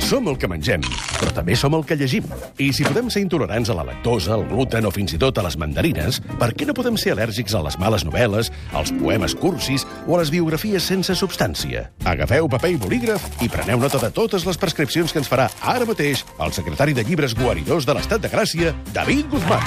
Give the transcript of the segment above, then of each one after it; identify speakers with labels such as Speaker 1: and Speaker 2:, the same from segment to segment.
Speaker 1: Som el que mengem, però també som el que llegim. I si podem ser intolerants a la lactosa, al gluten o fins i tot a les mandarines, per què no podem ser al·lèrgics a les males novel·les, als poemes cursis o a les biografies sense substància? Agafeu paper i bolígraf i preneu nota de totes les prescripcions que ens farà ara mateix el secretari de Llibres Guaridors de l'Estat de Gràcia, David Guzmán.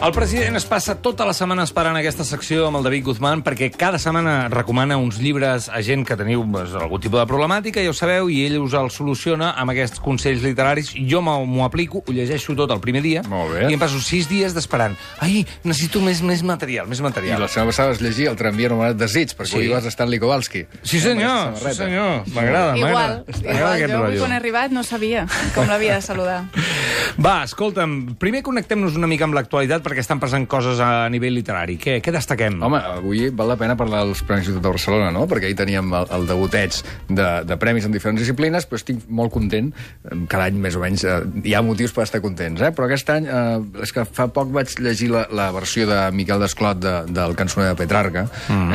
Speaker 2: El president es passa tota la setmana esperant aquesta secció amb el David Guzmán perquè cada setmana recomana uns llibres a gent que teniu algun tipus de problemàtica, ja ho sabeu, i ell us el soluciona amb aquests consells literaris. Jo m'ho aplico, ho llegeixo tot el primer dia i em passo 6 dies d'esperant. Ai, necessito més material.
Speaker 3: I la setmana passada vas llegir el tramvia anomenat Desig, perquè avui vas a Stanley Kowalski.
Speaker 2: Sí, senyor. M'agrada.
Speaker 4: Igual, jo quan he arribat no sabia com l'havia de saludar.
Speaker 2: Va, escolta'm, primer connectem-nos una mica amb l'actualitat perquè estan passant coses a nivell literari. Què destaquem?
Speaker 3: Home, avui val la pena parlar dels Premis Ciutat de Barcelona, no? Perquè ahir teníem el debuteig de premis en diferents disciplines, però estic molt content. Cada any, més o menys, hi ha motius per estar contents, però aquest any, és que fa poc vaig llegir la versió de Miquel Desclot del Cançoner de Petrarca.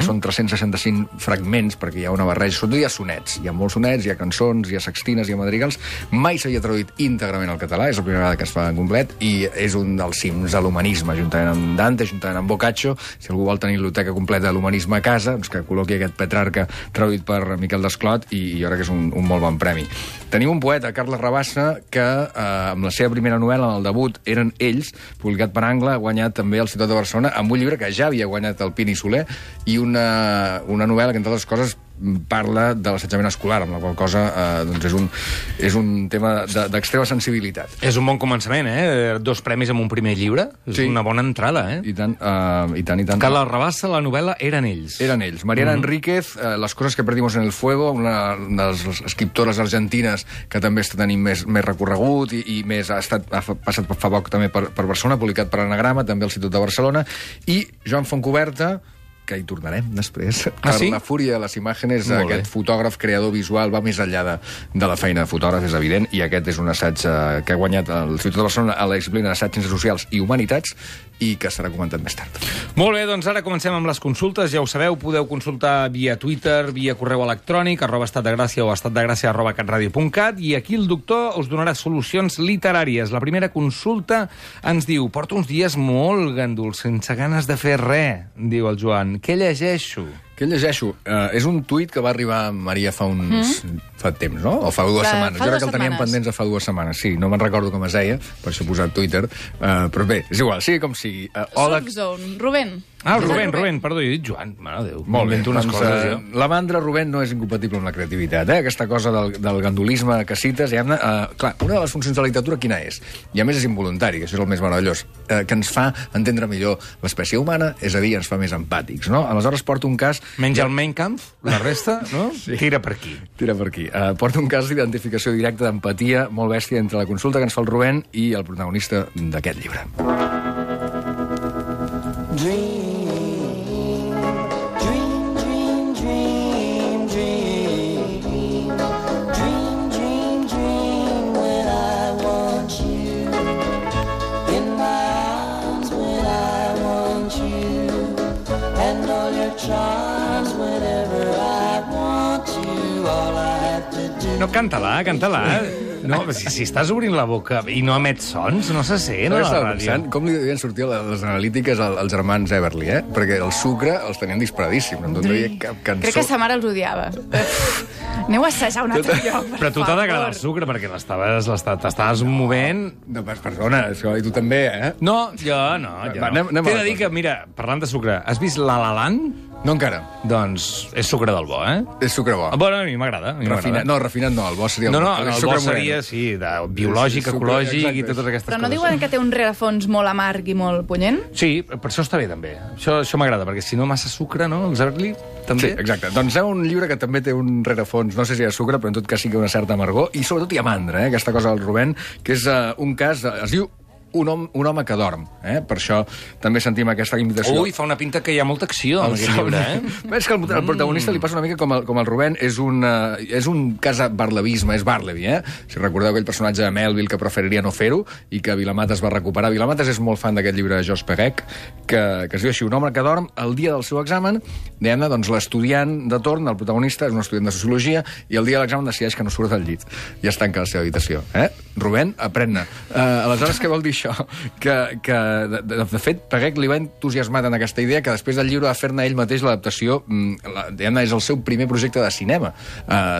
Speaker 3: Són 365 fragments, perquè hi ha una barreja. Sobretot hi ha sonets. Hi ha molts sonets, hi ha cançons, hi ha sextines, hi ha madrigals. Mai s'havia traduït íntegrament al català, és la primera vegada que es fa en complet, i és un dels cims de l'humanisme, juntament amb Dante, juntament amb Boccaccio. Si algú vol tenir biblioteca completa de l'humanisme a casa, doncs que col·loqui aquest Petrarca traduït per Miquel Desclot, i jo crec que és un molt bon premi. Tenim un poeta, Carles Rabassa, que amb la seva primera novel·la, en el debut, Eren ells, publicat per Angle, ha guanyat també el Ciutat de Barcelona, amb un llibre que ja havia guanyat el Pini Soler, i una novel·la que, entre altres coses, parla de l'assetjament escolar, amb la qual cosa doncs és un tema d'extrema sensibilitat.
Speaker 2: És un bon començament, 2 premis amb un primer llibre. És una bona entrada,
Speaker 3: I tant.
Speaker 2: Carles Rabassa, la novel·la Eren ells.
Speaker 3: Eren ells. Mariana Enríquez, Las cosas que perdimos en el fuego, una de les escriptores argentines que també està tenint més recorregut i ha passat fa poc també per Barcelona, publicat per Anagrama, també al Ciutat de Barcelona, i Joan Fontcoberta, que hi tornarem després.
Speaker 2: Sí?
Speaker 3: La fúria de les imatges, aquest fotògraf, creador visual, va més enllà de la feina de fotògraf, és evident, i aquest és un assaig que ha guanyat el Ciutat de Barcelona a la disciplina d'assaig, ciències socials i humanitats, i que serà comentat més tard.
Speaker 2: Molt bé, doncs ara comencem amb les consultes. Ja ho sabeu, podeu consultar via Twitter, via correu electrònic, @estatdegràcia o estatdegràcia@catradio.cat, i aquí el doctor us donarà solucions literàries. La primera consulta ens diu: porto uns dies molt ganduls, sense ganes de fer res, diu el Joan. Què llegeixo?
Speaker 3: Què llegeixo? És un tuit que va arribar a Maria fa temps, no? O fa 2 setmanes. Jo crec que el teníem pendents fa 2 setmanes. Sí, no me'n recordo com es deia, per això he posat Twitter. Però bé, és igual, sigui com sigui.
Speaker 4: Surfzone, Rubén.
Speaker 2: Rubén, perdó, jo he dit Joan. Mare de Déu.
Speaker 3: Molt bé, doncs la mandra, Rubén, no és incompatible amb la creativitat. Aquesta cosa del gandulisme que cites, clar, una de les funcions de la literatura quina és? I a més és involuntari, això és el més meravellós, que ens fa entendre millor l'espècie humana, és a dir, ens fa més empàtics, no? Aleshores porto un cas...
Speaker 2: Menja el Mein Kampf, la resta, no? Sí. Tira per aquí.
Speaker 3: Porta un cas d'identificació directa, d'empatia, molt bèstia, entre la consulta que ens fa el Rubén i el protagonista d'aquest llibre.
Speaker 2: No, canta-la. No, si estàs obrint la boca i no emets sons, no se sent a la ràdio.
Speaker 3: Com li devien sortir les analítiques als germans Everly, Perquè el sucre els tenien disparadíssim, no donaria cap cançó.
Speaker 4: Crec que sa mare els odiava. Aneu a assajar un altre lloc,
Speaker 2: Però tu t'ha d'agradar el sucre, perquè t'estaves movent...
Speaker 3: No, perdona, i tu també,
Speaker 2: No, jo no. T'he de dir que, mira, parlant de sucre, has vist La La Land?
Speaker 3: No encara.
Speaker 2: Doncs és sucre del bo,
Speaker 3: És sucre bo.
Speaker 2: Bueno, a mi m'agrada.
Speaker 3: Refinat no, el bo seria...
Speaker 2: No, el bo seria, sí, biològic, ecològic i totes aquestes coses.
Speaker 4: Però no diuen que té un rerefons molt amarg i molt punyent?
Speaker 2: Sí, per això està bé, també. Això m'agrada, perquè si no massa sucre, no? Els Everly, també.
Speaker 3: Sí, exacte. Doncs hi ha un llibre que també té un rerefons, no sé si hi ha sucre, però en tot cas sí que una certa amargor, i sobretot hi ha mandra, aquesta cosa del Rubén, que és un cas... Es diu un home que dorm. Per això també sentim aquesta invitació.
Speaker 2: Ui, fa una pinta que hi ha molta acció en aquest llibre,
Speaker 3: És que al protagonista li passa una mica com el Rubén, és un cas barlevisme, és Barleby, Si recordeu aquell personatge de Melville que preferiria no fer-ho i que Vilamatas va recuperar. Vilamatas és molt fan d'aquest llibre de Georges Perec, que es diu així, un home que dorm el dia del seu examen, doncs l'estudiant de torn, el protagonista, és un estudiant de Sociologia, i el dia de l'examen decideix que no surt del llit i es tanca a la seva habitació. Rubén, aprèn-ne. Aleshores, què vol dir això? Que de fet, Perec li va entusiasmar en aquesta idea que després del llibre va fer-ne ell mateix l'adaptació, és el seu primer projecte de cinema.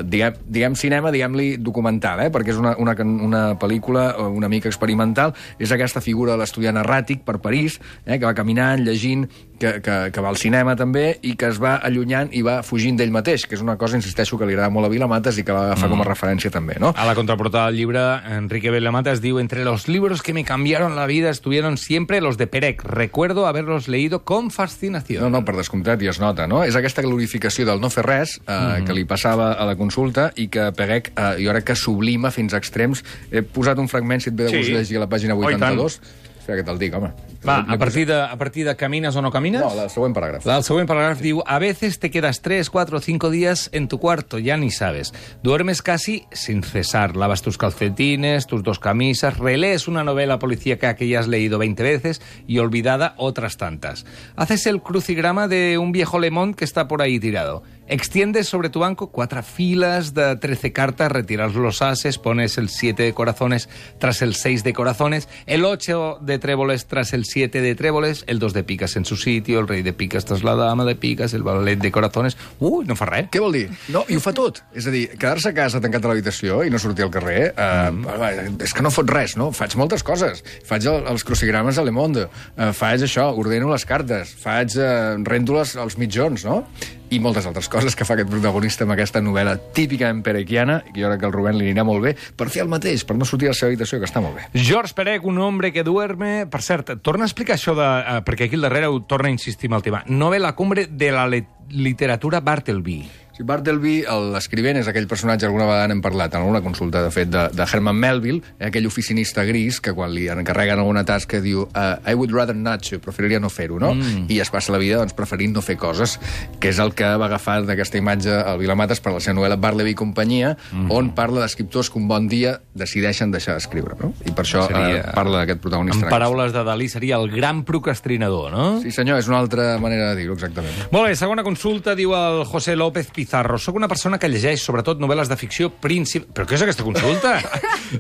Speaker 3: Diguem cinema, diguem-li documental, perquè és una pel·lícula una mica experimental. És aquesta figura de l'estudiant erràtic per París, que va caminant, llegint, que va al cinema també, i que es va allunyant i va fugint d'ell mateix, que és una cosa, insisteixo, que li agrada molt a Vilamatas i que va agafar com a referència també, no?
Speaker 2: A la contraportada del llibre, Enrique Vilamatas diu: entre los libros que me cambiaron la vida estuvieron siempre los de Perec. Recuerdo haberlos leído con fascinación.
Speaker 3: No, per descomptat, i es nota, no? És aquesta glorificació del no fer res que li passava a la consulta i que Perec, jo crec que sublima fins a extrems. He posat un fragment, si et ve de gust llegir a la pàgina 82. Espera que te'l dic, home.
Speaker 2: Va, a partir de camines o no camines?
Speaker 3: No, el següent paràgraf.
Speaker 2: El següent paràgraf diu: a veces te quedas 3, 4 o 5 días en tu cuarto, ya ni sabes. Duermes casi sin cesar, lavas tus calcetines, tus 2 camisas, relees una novela policíaca que ya has leído 20 veces y olvidada otras tantas. Haces el crucigrama de un viejo lemón que está por ahí tirado. Extiendes sobre tu banco 4 filas de 13 cartas, retiras los ases, pones el 7 de corazones tras el 6 de corazones, el 8 de tréboles tras el 7 de tréboles, el 2 de picas en su sitio, el rei de picas tras la dama de picas, el valet de corazones... no fa res.
Speaker 3: Què vol dir? No, i ho fa tot. És a dir, quedar-se a casa tancat a l'habitació i no sortir al carrer, és que no fot res, no? Faig moltes coses. Faig els crucigrames a Le Monde, faig això, ordeno les cartes, rento els mitjons, no? I moltes altres coses que fa aquest protagonista amb aquesta novel·la típicament perequiana, i jo crec que al Rubén li anirà molt bé, per fer el mateix, per no sortir a la seva habitació, que està molt bé.
Speaker 2: Georges Perec, un hombre que duerme... Per cert, torna a explicar això de... perquè aquí al darrere ho torna a insistir amb el tema. No ve la cumbre de la literatura Bartleby.
Speaker 3: Sí, Bartleby, l'escrivent, és aquell personatge, alguna vegada n'hem parlat, en alguna consulta, de fet, de Herman Melville, aquell oficinista gris que quan li encarreguen alguna tasca diu I would rather not to, preferiria no fer-ho, no? I es passa la vida preferint no fer coses, que és el que va agafar d'aquesta imatge el Vilamatas per la seva novel·la Bartleby i companyia, on parla d'escriptors que un bon dia decideixen deixar d'escriure, no? I per això parla d'aquest protagonista.
Speaker 2: En paraules de Dalí, seria el gran procrastinador, no?
Speaker 3: Sí, senyor, és una altra manera de dir-ho, exactament.
Speaker 2: Molt bé, segona consulta, diu el José López Pizarro. Soc una persona que llegeix, sobretot, novel·les de ficció Però què és aquesta consulta?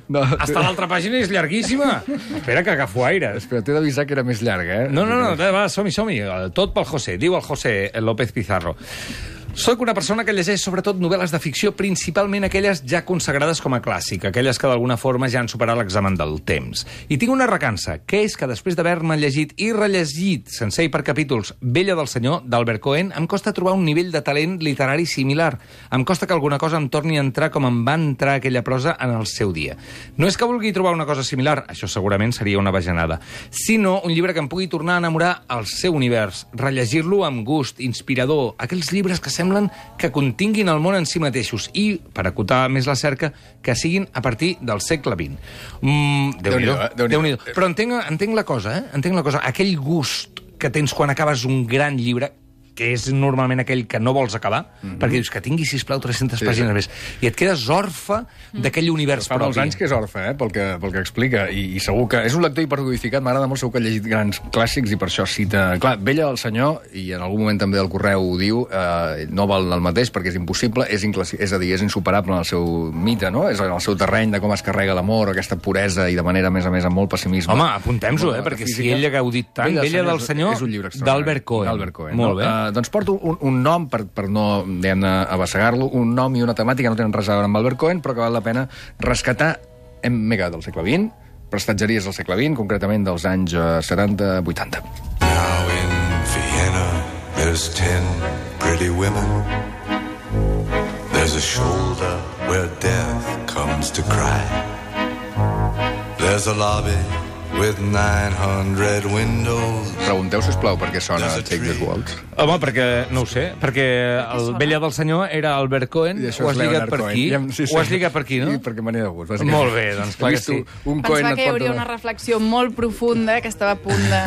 Speaker 3: No,
Speaker 2: hasta l'altra pàgina és llarguíssima. Espera, que agafo aire.
Speaker 3: Espera, t'he d'avisar que era més llarga,
Speaker 2: No, va, som-hi. Tot pel José. Diu el José López Pizarro. Soc una persona que llegeix sobretot novel·les de ficció, principalment aquelles ja consagrades com a clàssic, aquelles que d'alguna forma ja han superat l'examen del temps. I tinc una recança, que és que després d'haver-me llegit i rellegit, sencer i per capítols, Bella del Senyor, d'Albert Cohen, em costa trobar un nivell de talent literari similar. Em costa que alguna cosa em torni a entrar com em va entrar aquella prosa en el seu dia. No és que vulgui trobar una cosa similar, això segurament seria una bajanada, sinó un llibre que em pugui tornar a enamorar al seu univers, rellegir-lo amb gust, inspirador, aquells llibres que semblen que continguin el món en si mateixos i, per acotar més la cerca, que siguin a partir del segle XX. Déu-n'hi-do. Però entenc la cosa, Entenc la cosa. Aquell gust que tens quan acabes un gran llibre, que és normalment aquell que no vols acabar, perquè dius que tingui, sisplau, 300 pàgines més, i et quedes orfe d'aquell univers propi.
Speaker 3: Fa molts anys que és orfe, pel que explica, i segur que és un lector hipercodificat, m'agrada molt, segur que ha llegit grans clàssics, i per això cita... Clar, Bella del Senyor, i en algun moment també del Correu ho diu, no val el mateix perquè és impossible, és a dir, és insuperable en el seu mite, no? És en el seu terreny de com es carrega l'amor, aquesta puresa, i de manera, a més, amb molt pessimisme.
Speaker 2: Home, apuntem-s'ho, perquè si ell ha gaudit tant, Bella del Senyor, d'Albert Cohen. Molt bé.
Speaker 3: Doncs porto un nom, per no, diguem-ne, abassegar-lo, un nom i una temàtica no tenen res a veure amb Albert Cohen, però que val la pena rescatar mega del segle XX, prestatgeries del segle XX, concretament dels anys 70-80.
Speaker 5: Now in Vienna there's 10 pretty women. There's a shoulder where death comes to cry. There's a lobby with 900 windows.
Speaker 3: Pregunteu, sisplau, per què sona Take This Waltz.
Speaker 2: Home, perquè, no ho sé, perquè el vella del senyor era Albert Cohen,
Speaker 3: I això
Speaker 2: ho has
Speaker 3: és
Speaker 2: lligat
Speaker 3: Leonard
Speaker 2: per
Speaker 3: Cohen.
Speaker 2: aquí, ho has lligat per aquí, no?
Speaker 3: Sí, perquè me n'he de gust, bàsicament.
Speaker 2: Molt bé, doncs clar que sí.
Speaker 3: Un Cohen
Speaker 4: Pensava
Speaker 3: et
Speaker 4: que hi
Speaker 3: porta
Speaker 4: hauria una reflexió molt profunda que estava a punt de...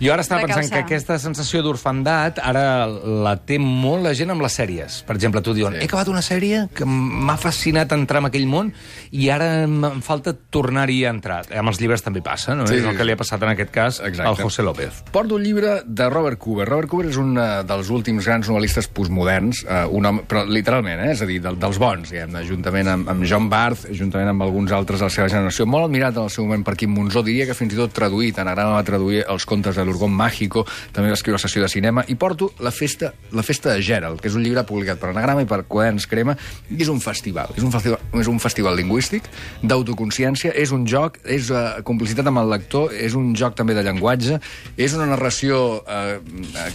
Speaker 2: Jo ara estava
Speaker 4: de
Speaker 2: pensant que
Speaker 4: causar.
Speaker 2: aquesta sensació d'orfandat ara la té molt la gent amb les sèries. Per exemple, tu diuen, he acabat una sèrie que m'ha fascinat entrar en aquell món i ara em falta tornar-hi a entrar. Amb els llibres també passa, no?
Speaker 3: Sí,
Speaker 2: És el
Speaker 3: sí.
Speaker 2: que li ha passat en aquest cas
Speaker 3: Exacte.
Speaker 2: al José López.
Speaker 3: Porto un llibre de Robert Cooper. Robert Cooper és un dels últims grans novel·listes postmoderns, un home, però literalment, és a dir, dels bons, diguem-ne, juntament amb John Barth, juntament amb alguns altres de la seva generació, molt admirat en el seu moment per Quim Monzó, diria que fins i tot traduït, Anagrama va traduir els contes de l'Orgón Mágico, també va escriure la sessió de cinema, i porto La festa de Gerald, que és un llibre publicat per Anagrama i per Quaderns Crema, i és un festival, és un festival lingüístic, d'autoconsciència, és un joc, és complicitat amb el lector, és un joc també de llenguatge, és una narració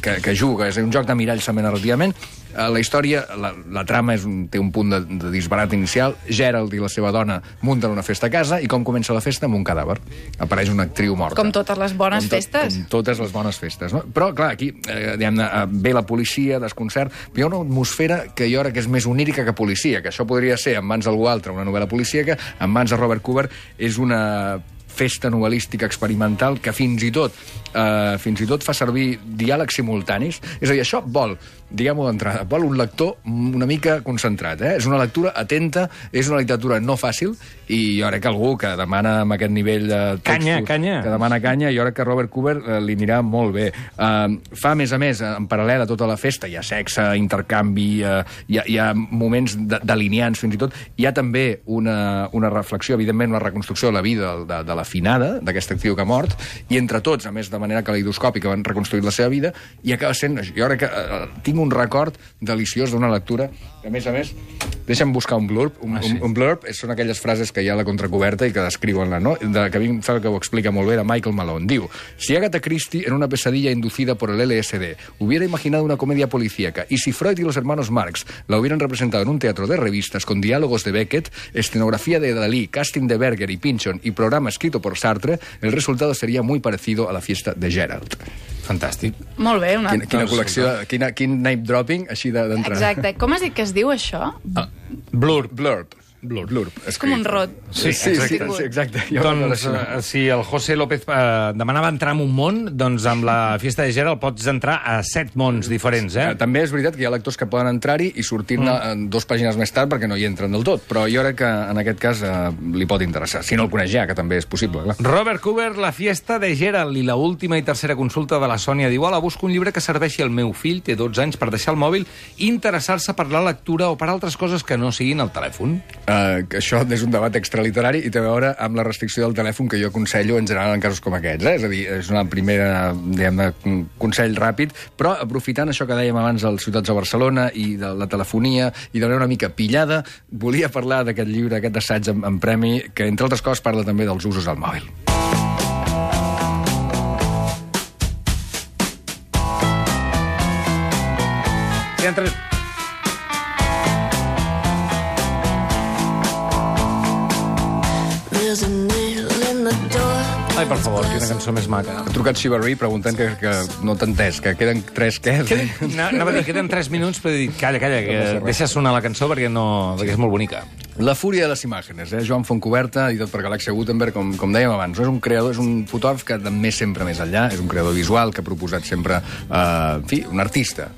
Speaker 3: que juga, és un joc de miralls també narrativament. La història, la trama té un punt de disbarat inicial. Gerald i la seva dona munten una festa a casa i com comença la festa? Amb un cadàver. Apareix una actriu morta.
Speaker 4: Com totes les bones festes.
Speaker 3: Com totes les bones festes, no? Però, clar, aquí ve la policia, desconcert, però hi ha una atmosfera que jo crec que és més onírica que policia, que això podria ser en mans d'algú altre, una novel·la policíaca, en mans de Robert Cooper és una festa novel·lística experimental que fins i tot fa servir diàlegs simultanis. És a dir, això vol, diguem-ho d'entrada, vol un lector una mica concentrat. És una lectura atenta, és una literatura no fàcil, i jo crec que algú que demana amb aquest nivell de textos...
Speaker 2: Canya.
Speaker 3: Que demana canya, jo crec que Robert Cooper li anirà molt bé. Fa, a més, en paral·lel a tota la festa, hi ha sexe, intercanvi, hi ha moments delineants, fins i tot. Hi ha també una reflexió, evidentment, una reconstrucció de la vida de la finada, d'aquesta actriu que ha mort, i entre tots, a més de manera caleidoscòpica, van reconstruir la seva vida, i acaba sent... Jo crec que tinc un record deliciós d'una lectura que, a més, deixa'm buscar un blurb. Un blurb són aquelles frases que hi ha a la contracoberta i que descriuen no? Que a mi em sembla que ho explica molt bé, de Michael Malone. Diu, si Agatha Christie en una pesadilla inducida por el LSD hubiera imaginado una comedia policíaca y si Freud y los hermanos Marx la hubieran representado en un teatro de revistas con diálogos de Beckett, escenografía de Dalí, casting de Berger y Pynchon y programa escrito por Sartre, el resultado sería muy parecido a la fiesta de Gerald.
Speaker 2: Fantàstic.
Speaker 4: Molt bé.
Speaker 3: Quina col·lecció, quin name dropping així d'entrada.
Speaker 4: Exacte. Com has dit que es diu això?
Speaker 3: Blurb.
Speaker 4: És com un rot.
Speaker 3: Sí, exacte.
Speaker 2: Doncs, si el José López demanava entrar en un món, doncs amb la Fiesta de Gerald pots entrar a 7 mons diferents,
Speaker 3: També és veritat que hi ha lectors que poden entrar-hi i sortir-ne 2 pàgines més tard perquè no hi entren del tot, però jo crec que en aquest cas li pot interessar, si no el coneix ja, que també és possible, clar.
Speaker 2: Robert Cooper, La Fiesta de Gerald, i la última i tercera consulta de la Sònia diu: hola, busco un llibre que serveixi al meu fill, té 12 anys, per deixar el mòbil i interessar-se per la lectura o per altres coses que no siguin el telèfon.
Speaker 3: Que això és un debat extraliterari i té a veure amb la restricció del telèfon que jo aconsello en general en casos com aquests. És a dir, és una primera, diguem-ne, consell ràpid, però aprofitant això que dèiem abans dels ciutats de Barcelona i de la telefonia i de una mica pillada, volia parlar d'aquest llibre, aquest assaig en premi, que entre altres coses parla també dels usos del mòbil.
Speaker 2: Si entres... Ai, per favor, quina cançó més maca.
Speaker 3: Ha trucat Xivarri preguntant que no t'ha entès, que queden 3 què?
Speaker 2: Anava a dir, queden 3 minuts, però he dit, calla, que deixa sonar la cançó perquè és molt bonica.
Speaker 3: La fúria de les imatges, Joan Fontcuberta, editat per Galàxia Gutenberg, com dèiem abans. És un creador, és un fotògraf que més sempre més enllà, és un creador visual que ha proposat sempre, un artista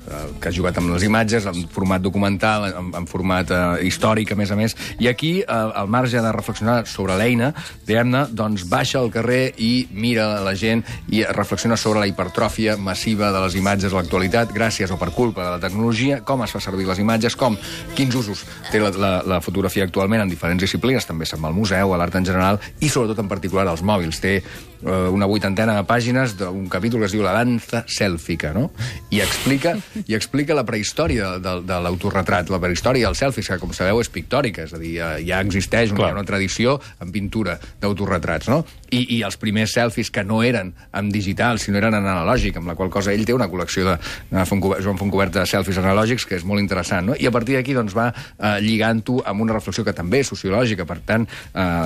Speaker 3: que ha jugat amb les imatges, en format documental, en format històric, a més, i aquí, al marge de reflexionar sobre l'eina, diguem-ne, doncs baixa al carrer i mira la gent i reflexiona sobre la hipertròfia massiva de les imatges a l'actualitat, gràcies o per culpa de la tecnologia, com es fa servir les imatges, quins usos té la fotografia actualment en diferents disciplines, també se'n va al museu, a l'art en general, i sobretot en particular als mòbils. Té una 80ena de pàgines d'un capítol que es diu La danza sèlfica, no? I explica la prehistòria de l'autorretrat, la prehistòria del selfies, que, com sabeu, és pictòrica, és a dir, ja existeix una tradició en pintura d'autorretrats, no? i els primers selfies que no eren en digital, sinó eren en analògic, amb la qual cosa ell té una col·lecció de Joan Fontcobert de selfies analògics, que és molt interessant, no? I a partir d'aquí doncs, va lligant-ho amb una reflexió que també és sociològica. Per tant,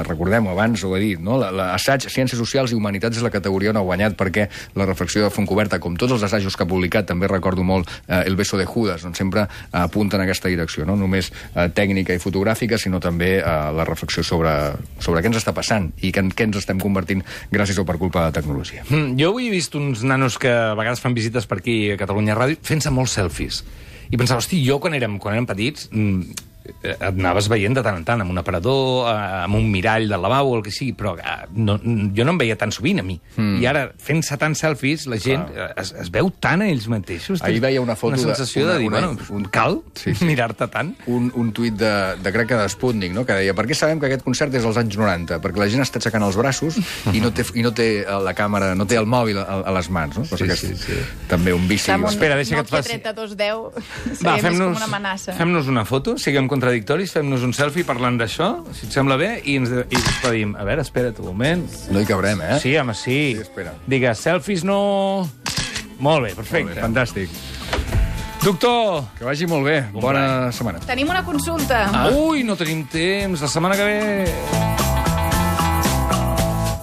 Speaker 3: recordem-ho, abans ho he dit, no? L'assaig Ciències Socials i Humanitats és la categoria on ha guanyat, perquè la reflexió de Fontcoberta, com tots els assajos que ha publicat, també recordo molt El beso de Judas, on sempre apunta en aquesta direcció, no només tècnica i fotogràfica, sinó també la reflexió sobre què ens està passant i què ens estem convertint gràcies o per culpa de la tecnologia.
Speaker 2: Jo avui he vist uns nanos que a vegades fan visites per aquí a Catalunya Ràdio fent-se molts selfies. I pensava, hosti, jo quan érem petits et anaves veient de tant en tant amb un aparador, amb un mirall del lavabo o el que sigui, però jo no em veia tan sovint a mi. I ara, fent-se tants selfies, la gent es veu tant a ells mateixos.
Speaker 3: Ahir veia una foto
Speaker 2: una sensació de dir, cal mirar-te tant.
Speaker 3: Un tuit de crec que d'Sputnik, no? Que deia, per què sabem que aquest concert és als anys 90? Perquè la gent està aixecant els braços i no té la càmera, no té el mòbil a les mans, no? Sí. També un vici.
Speaker 2: Espera, deixa que et faci...
Speaker 4: 3210 seria més com una amenaça.
Speaker 2: Fem-nos una foto, siguem contradictoris, fem-nos un selfie parlant d'això, si et sembla bé, i ens despedim. A veure, espera't un moment.
Speaker 3: No hi cabrem, eh?
Speaker 2: Sí, home, sí.
Speaker 3: Espera.
Speaker 2: Digues, selfies no... Molt bé, perfecte.
Speaker 3: Molt bé, fantàstic.
Speaker 2: Doctor!
Speaker 3: Que vagi molt bé. Bona setmana.
Speaker 4: Tenim una consulta.
Speaker 2: Ui, no tenim temps. La setmana que ve...